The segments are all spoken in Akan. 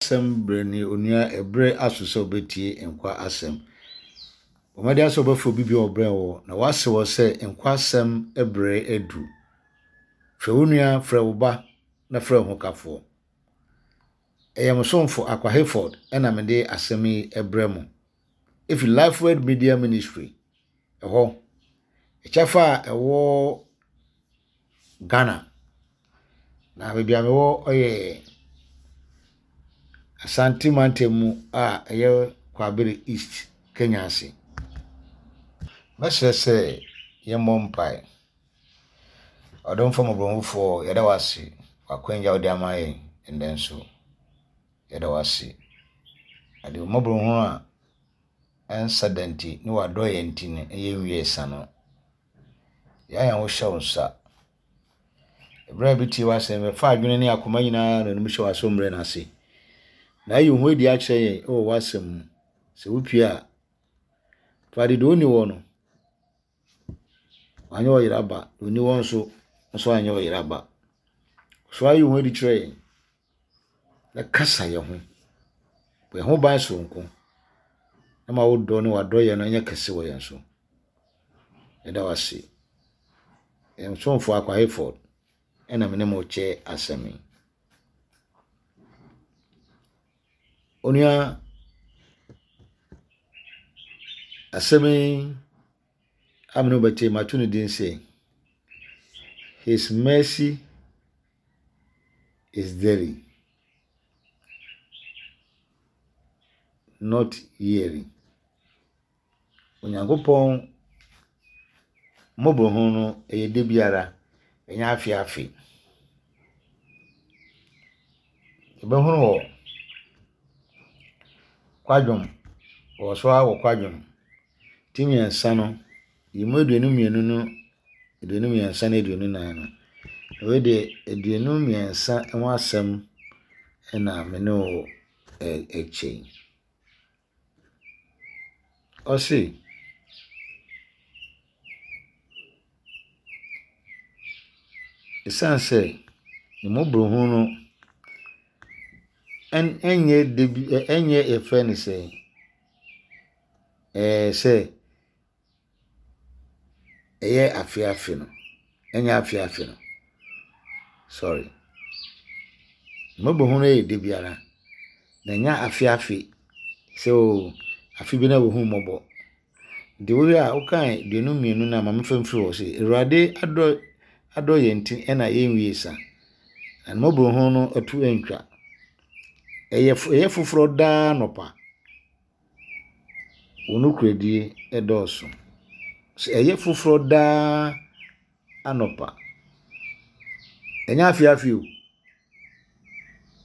Asɛm berɛ ni onua ɛberɛ aso sɛ wobɛtie nkwa asɛm. Bɔ mmɔden sɛ wobɛfrɛ obi bi a ɔbrɛn wo na wase wɔ sɛ nkwa asɛm berɛ adu. Frɛ wo nua, frɛ wo ba na frɛ wo hokafoɔ. Ɛyɛ mo somfo Akwa Hayford ɛna mede asɛm yi ɛbrɛ mo. Ɛfiri Lifeword Media Ministry ɛhɔ. Ɛkyɛfa a ɛwɔ Ghana. Na baabi a mewɔ yɛ Asante mantam mu a ɛyɛ Kwabere East, Kenyasi. Mɛsrɛ sɛ yɛmmɔ mpae. Ɔdomfoɔ mmɔborɔhunufoɔ, yɛda wo ase wɔ akwanya a wode ama yɛn nnɛ nso. Yɛda wo ase. Ade mmɔborɔhunu a ɛnsa da nti ne w'adɔeɛ nti no, yɛnwie sa no. Yɛn a wohyɛ wo nsa. Ɛberɛ a yɛbɛtie w'asɛm, yɛfa adwene ne akoma nyinaa na anim hyɛ w'asommerɛ no ase. Na ayi wo ho adi akyerɛ yɛn wɔ w'asɛm mu. Sɛ wopie a, fa de deɛ ɔnni hɔ no, wanyɛ ɔyera ba, deɛ ɔnni hɔ nso, nso anyɛ ɔyera ba. So ayi wo ho adi kyerɛ yɛn. Na kasa yɛn ho. Bɔ yɛn ho ban soronko. Na ma wo dɔ ne w'adɔyɛ no nyɛ kɛse wɔ yɛn so. Yɛda wo ase. Yɛn somfo Akwa Hayford ɛna me ne mo kyɛ asɛm yi. Onua, asɛm yi a me ne wo bɛkyɛ yi, mato ne din sɛ His Mercy is daily, not yearly. Onyankopɔn mmɔborɔhunu no, ɛyɛ da biara, ɛnyɛ afe afe. Yɛbɛhunu wɔ Kwadwom, wɔ so ara wɔ Kwadwom ti mmiɛnsa no, yi mu 22 no, 23 ne 24 no. Wei deɛ 23 ho asɛm na me ne wo ɛkyɛ yi. Ɔse, esiane sɛ ne mmɔborɔhunu no ɛnyɛ da bi ɛnyɛ yɛfrɛ no sɛn ɛɛ sɛ ɛyɛ afe afe no, ɛnyɛ afe afe no, sorry. Mmɔborɔhunu no yɛ da biara, na ɛnyɛ afe afe sɛ oo afe bi na wɔhu mmɔbɔ. Nti wohwɛ a wokae 22 no a ma memfa mfiri hɔ sɛ Awurade adɔ adɔ yɛn nti ɛna yɛnwie sa. Na ne mmɔborɔhunu no ɛto antwa. Ɛyɛ ɛyɛ foforɔ daa nɔpa. Wo nokorɛdie dɔɔso. Sɛ ɛyɛ foforɔ daa anɔpa. Ɛnyɛ afe afe o.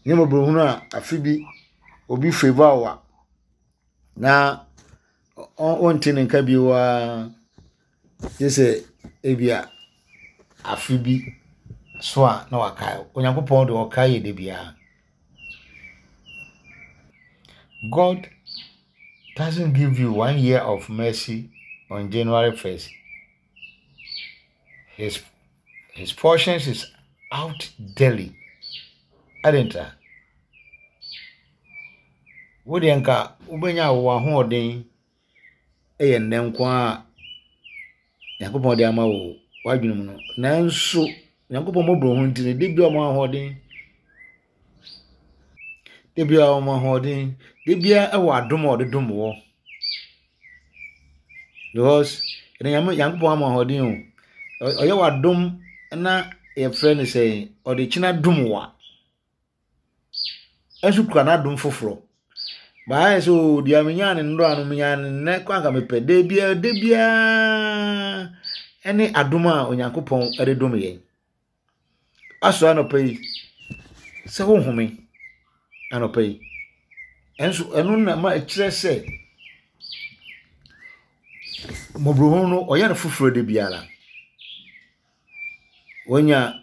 Nyɛ mmɔborɔhunu a afe bi obi favour wo a na wonte ne nka bio ara gye sɛ ebia afe bi so a na wakae wo. Onyankopɔn deɛ ɔkae yɛ da biara. God doesn't give you one year of mercy on January 1st. His, his portions is out daily. Adenta. Wo deɛ nka wobɛnya wo ahoɔden yɛ nnɛ nko ara a Nyankopɔn de ama wo w'adwene mu no. Nanso Nyankopɔn mmɔborɔhunu nti no, da biara ɔma ahoɔden. Da biara ɔma ahoɔden. Da biara ɛwɔ adom a ɔde dom wɔ. Because ɛnna Nyame Nyankopɔn ama ahoɔden o. Ɔyɛ w'adom na yɛfrɛ no sɛ ɔde kyena dom wo a. nso kura n'adom foforɔ. Baayɛ sɛ oo deɛ menyaa no nnora no menyaa no nnɛ kɔ anka mepɛ. Da biara da biara ɛne adom a Onyankopɔn de dom yɛn. Asɔ anɔpa yi sɛ wohome anɔpa yi. Ɛnso ɛno na ma ɛkyerɛ sɛ mmɔborɔhunu no ɔyɛ no foforɔ da biara. Wanya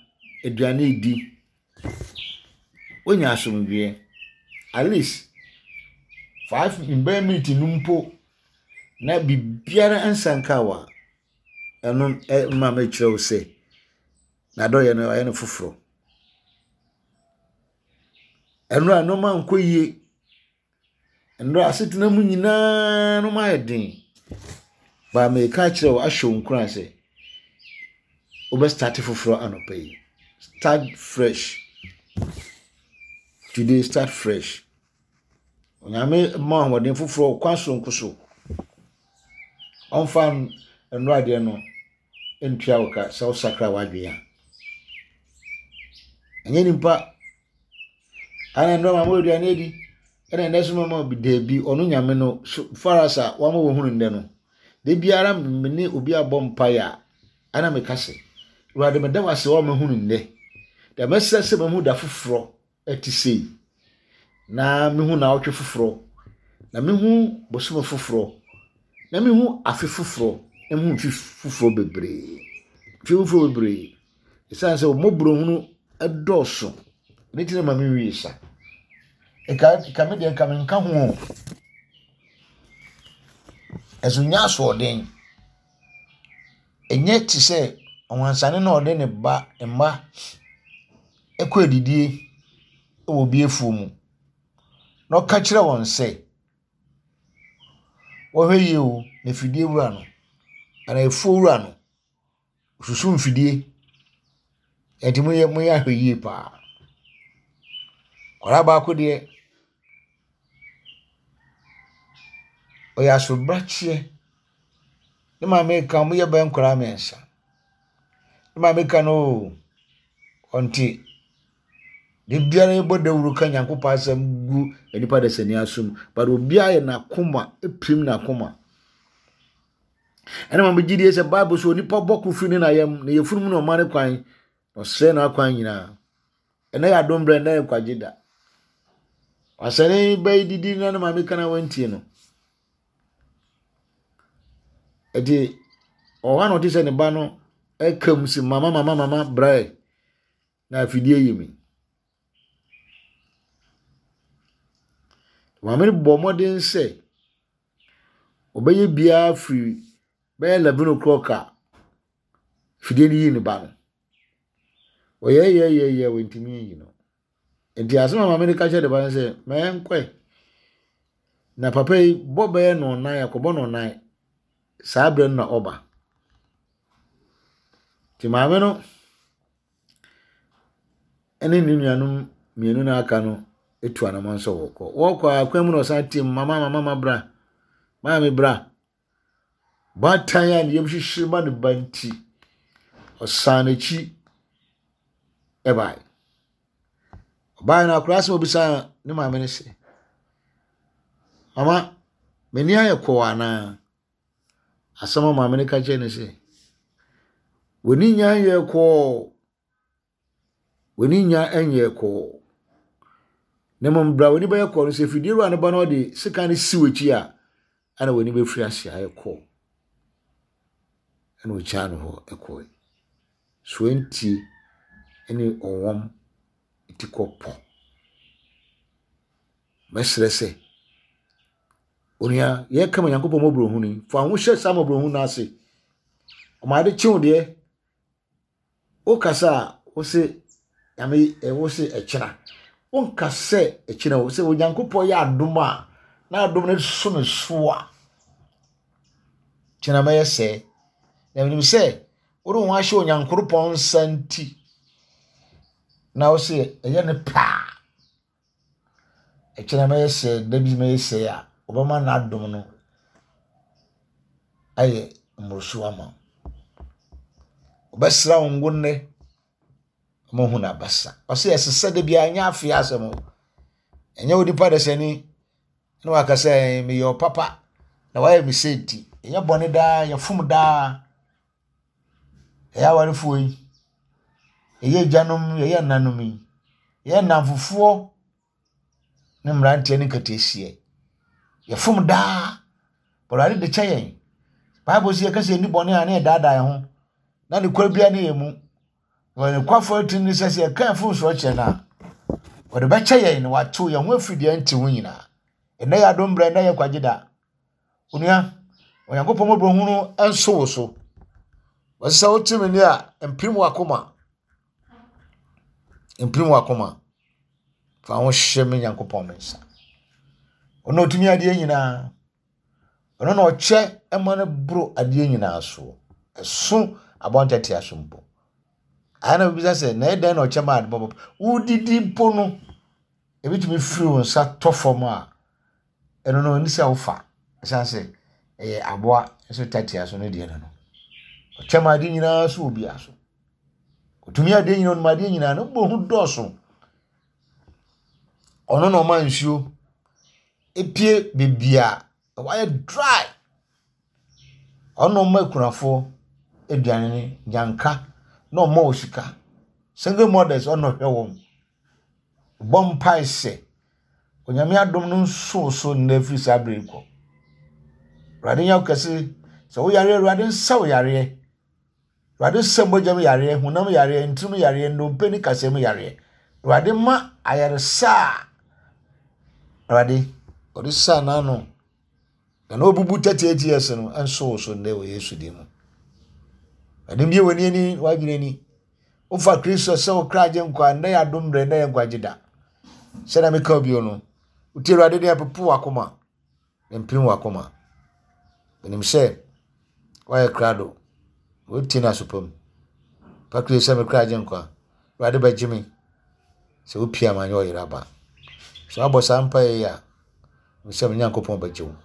aduane di. Wonya asomdwoeɛ. At least five bɛyɛ minute no mpo na biribiara nsa nka wo a, ɛno ma mekyerɛ wo sɛ n'adɔeɛ no ɔyɛ no foforɔ. Ɛnora nneɛma nkɔ yie. Ɛnora asetena mu nyinaa nneɛma ayɛ den. Baa meka akyerɛ wo ahyɛ wo nkuran sɛ wobɛ start foforɔ anɔpa yi. Start fresh. Today start fresh. Onyame ma ahoɔden foforɔ kwan soronko so. Ɔmfa nnora adeɛ no ntua wo ka sɛ wosakra w'adwene a. Ɛnyɛ nipa ana nnora ma mo aduane adi ɛna ɛnɛ so mama bi daabi ɔno nyame no so faras a wama wɔhunu nnɛ no da biara me ne obi abɔ mpaeɛ a ana meka sɛ Awurade meda wo ase wɔ mahunu nnɛ da mɛsrɛ sɛ mahu da foforɔ ɛte sei, na mehu naawɔtwe foforɔ, na mehu bosome foforɔ, na mehu afe foforɔ, na mehu mfe foforɔ bebree. Mfe foforɔ bebree. Ɛsiane sɛ wɔn mmɔborɔhunu dɔɔso, ne ti na ma menwie sa. Nka nka me deɛ nka menka ho o. Ɛso nyɛ asoɔden. Ɛnyɛ te sɛ ɔwansane no a ɔde ne ba mma kɔ adidie wɔ obi afuo mu, na ɔka kyerɛ wɔn sɛ, wɔnhwɛ yie o, na afidie wura no, anaa afuo wura no, ɔsusu mfidie. Enti monyɛ monyɛ ahwɛyie pa ara. Akwadaa baako deɛ, ɔyɛ asobrakyeɛ. Ne maame reka, wɔyɛ bɛyɛ nkwadaa mmeɛnsa. Ne maame ka no oo, ɔnte. Da biara yɛbɔ dawuro ka Nyankopɔn asɛm gu nnipa dasani asom, but obiara yɛ n'akoma, pirim n'akoma. Ɛna ma megye die sɛ Bible so onipa bɔ ko firi ne na yam, na yɛfunu mu na ɔma ne kwan, na ɔsrɛ n'akwan nyinaa. Ɛnɛ yɛ adom berɛ, ɛnɛ yɛ nkwagye da. Wasɛne ba yi didi na ne maame ka na wantie no. Ɛti ɔhɔ a na ɔte sɛ ne ba no ɛka mu si mama mama mama brɛ na afidie yi mi. Maame no bɔ mmɔden sɛ ɔbɛyɛ biara firi bɛyɛ 11 o'clock a afidie no yii ne ba no. Ɔyɛɛyɛɛyɛɛyɛ wantumi anyi no. Nti asɛm a maame no ka kyerɛ ne ba no sɛ, ma yɛnkɔe. Na papa yi bɔ bɛyɛ nnɔnnan, akɔbɔ nnɔnnan. Saa berɛ no na ɔba. Nti maame no ne ne nuanom mmienu no aka no tu anamɔn sɛ wɔkɔ. Wɔkɔ a kwan mu na ɔsan team, mama mama mama bra, maame bra. Baatan a ne yam hyehye ma ne ba nti, ɔsan n'akyi bae. Ɔbae no, akwadaa asɛm a obisaa ne maame no sɛ, Mama, m'ani ayɛ kɔɔ anaa? Asɛm a maame no ka kyerɛɛ no sɛ, W'ani nya nyɛɛ kɔɔ. W'ani nnya nyɛɛ kɔɔ. Na mmom bere a w'ani bɛyɛ kɔɔ no, sɛ afidie wura no ba na ɔde sekan no si w'akyi a, ɛna w'ani bɛfiri ase ayɛ kɔɔ. Ɛna ɔgyaa no hɔ kɔe. Soantie ne ɔwɔm ti kɔ pɔ. Mɛsrɛ sɛ, onua, yɛka ma Nyankopɔn mmɔborɔhunu yi, fa wo ho hyɛ saa mmɔborɔhunu no ase. Ɔma ade kye wo deɛ, Wokasa a, wose Nyame eh, wose ɛkyena. Wonka sɛ ɛkyena o, sɛ Onyankopɔn yɛ adom a, na adom no so me so a, kyena mɛyɛ sɛɛ. Na menim sɛ wode wo ho ahyɛ Onyankoropɔn nsa nti, na wose ɛyɛ ne pɛ a, Ɛkyena mɛyɛ sɛɛ, da bi mɛyɛ sɛɛ a, ɔbɛma n'adom no ayɛ mmoroso ama wo. Ɔbɛsra wo ngo nnɛ ma ɔhu n'abasa. Ɔsɛ ɛsesɛ da biara nyɛ afei asɛm o. Ɛnyɛ onipa dasani na waka sɛ meyɛ ɔpapa na wayɛ me sɛ nti. Ɛnyɛ bɔne daa, yɛfom daa. Yɛyɛ awarefoɔ yi, yɛyɛ agyanom, yɛyɛ ɛnanom yi, yɛyɛ nnamfofoɔ ne mmeranteɛ ne nketeesia. Yɛfom daa. Awurade de kyɛ yɛn. Bible sɛ yɛka sɛ yɛnni bɔne a na yɛdaadaa yɛn ho, na nokorɛ biara ne yɛn mu. Na ɔyɛ nokwafoɔ atiri ne sɛ sɛ yɛka yɛn mfomsoɔ kyerɛ no a, ɔde bɛkyɛ yɛn na watew yɛn ho afiri deɛ ɛnte ho nyinaa. Ɛnnɛ yɛ adom berɛ, ɛnnɛ yɛ nkwagye da. Onua, Onyankopɔn mmɔborɔhunu nso wo so. Wɔsɛ sɛ wote me nne a, mpirim w'akoma. Mpirim w'akoma. Fa wo ho hyɛ me Nyankopɔn me nsa. Ɔno ɔtumi adeɛ nyinaa. Ɔno na ɔkyɛ ma no boro adeɛ nyinaa soɔ. Ɛso aboa ntatea so mpo. Ayɛ na bibisa sɛ, na ɛdɛn na ɔkyɛ ma ade bɔbɔ? Wodidi mpo no, ebitumi firi wo nsa tɔ fam a, ɛno no ɛne sɛ wofa. Ɛsiane sɛ ɛyɛ aboa nso tatea so no deɛ no no. Ɔkyɛ ma adeɛ nyinaa so wɔ biara so. Ɔtumi adeɛ nyinaa, ɔnim adeɛ nyinaa, ne bɔ ho dɔɔso. Ɔno na ɔma nsuo epue beebi a ɛhɔ ayɛ dry. Ɔno na ɔma akunafoɔ aduane ne nyanka na ɔma wɔn sika. Single mothers ɔno na ɔhwɛ wɔn. Bɔ mpae sɛ Onyame adom no nso wo so nnɛ firi saa berɛ yi kɔ. Awurade nyɛ wo kɛse. Sɛ woyare a, Awurade nsa wo yareɛ. Awurade sɛ mogya mu yareɛ, honam yareɛ, ntini mu yareɛ, nnompe ne kasɛɛ mu yareɛ. Awurade ma ayaresa a Awurade ɔde saa n'ano na na ɔbubu 38 years no nso wo so nnɛ wɔ Yesu din mu. Awurade mbie w'ani ani w'adwene ani. Wofa Kristo sɛ wo kra gye nkwa nnɛ yɛ adom mmerɛ nnɛ yɛ nkwagye da. Sɛdeɛ meka bio no, wotie Awurade deɛ ɛpopo w'akoma. Mpirim w'akoma. Menim sɛ woayɛ krado. Wotie no aso pa mu. Fa Kristo sɛ me kra gye nkwa. Awurade bɛgye me. Sɛ wopia ma anyɛ ɔyere aba. Sɛ woabɔ saa mpaeɛ yi a, mesɛ me Nyankopɔn bɛgye wo.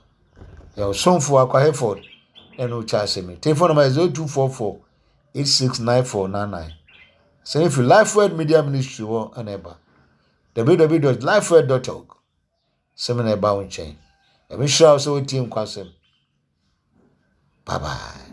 Yɛ ɔsomfo Akwa Hayford ɛne wo kyɛ asɛm yi. Telephone number yɛ 0244 869499. Asɛm yi firi Lifeword Media Ministry hɔ ɛna ɛba. www.lifeword.org. Sɛm na ɛba wo nkyɛn. Nyame nhyira wo sɛ wotie nkwasɛm. Bye bye.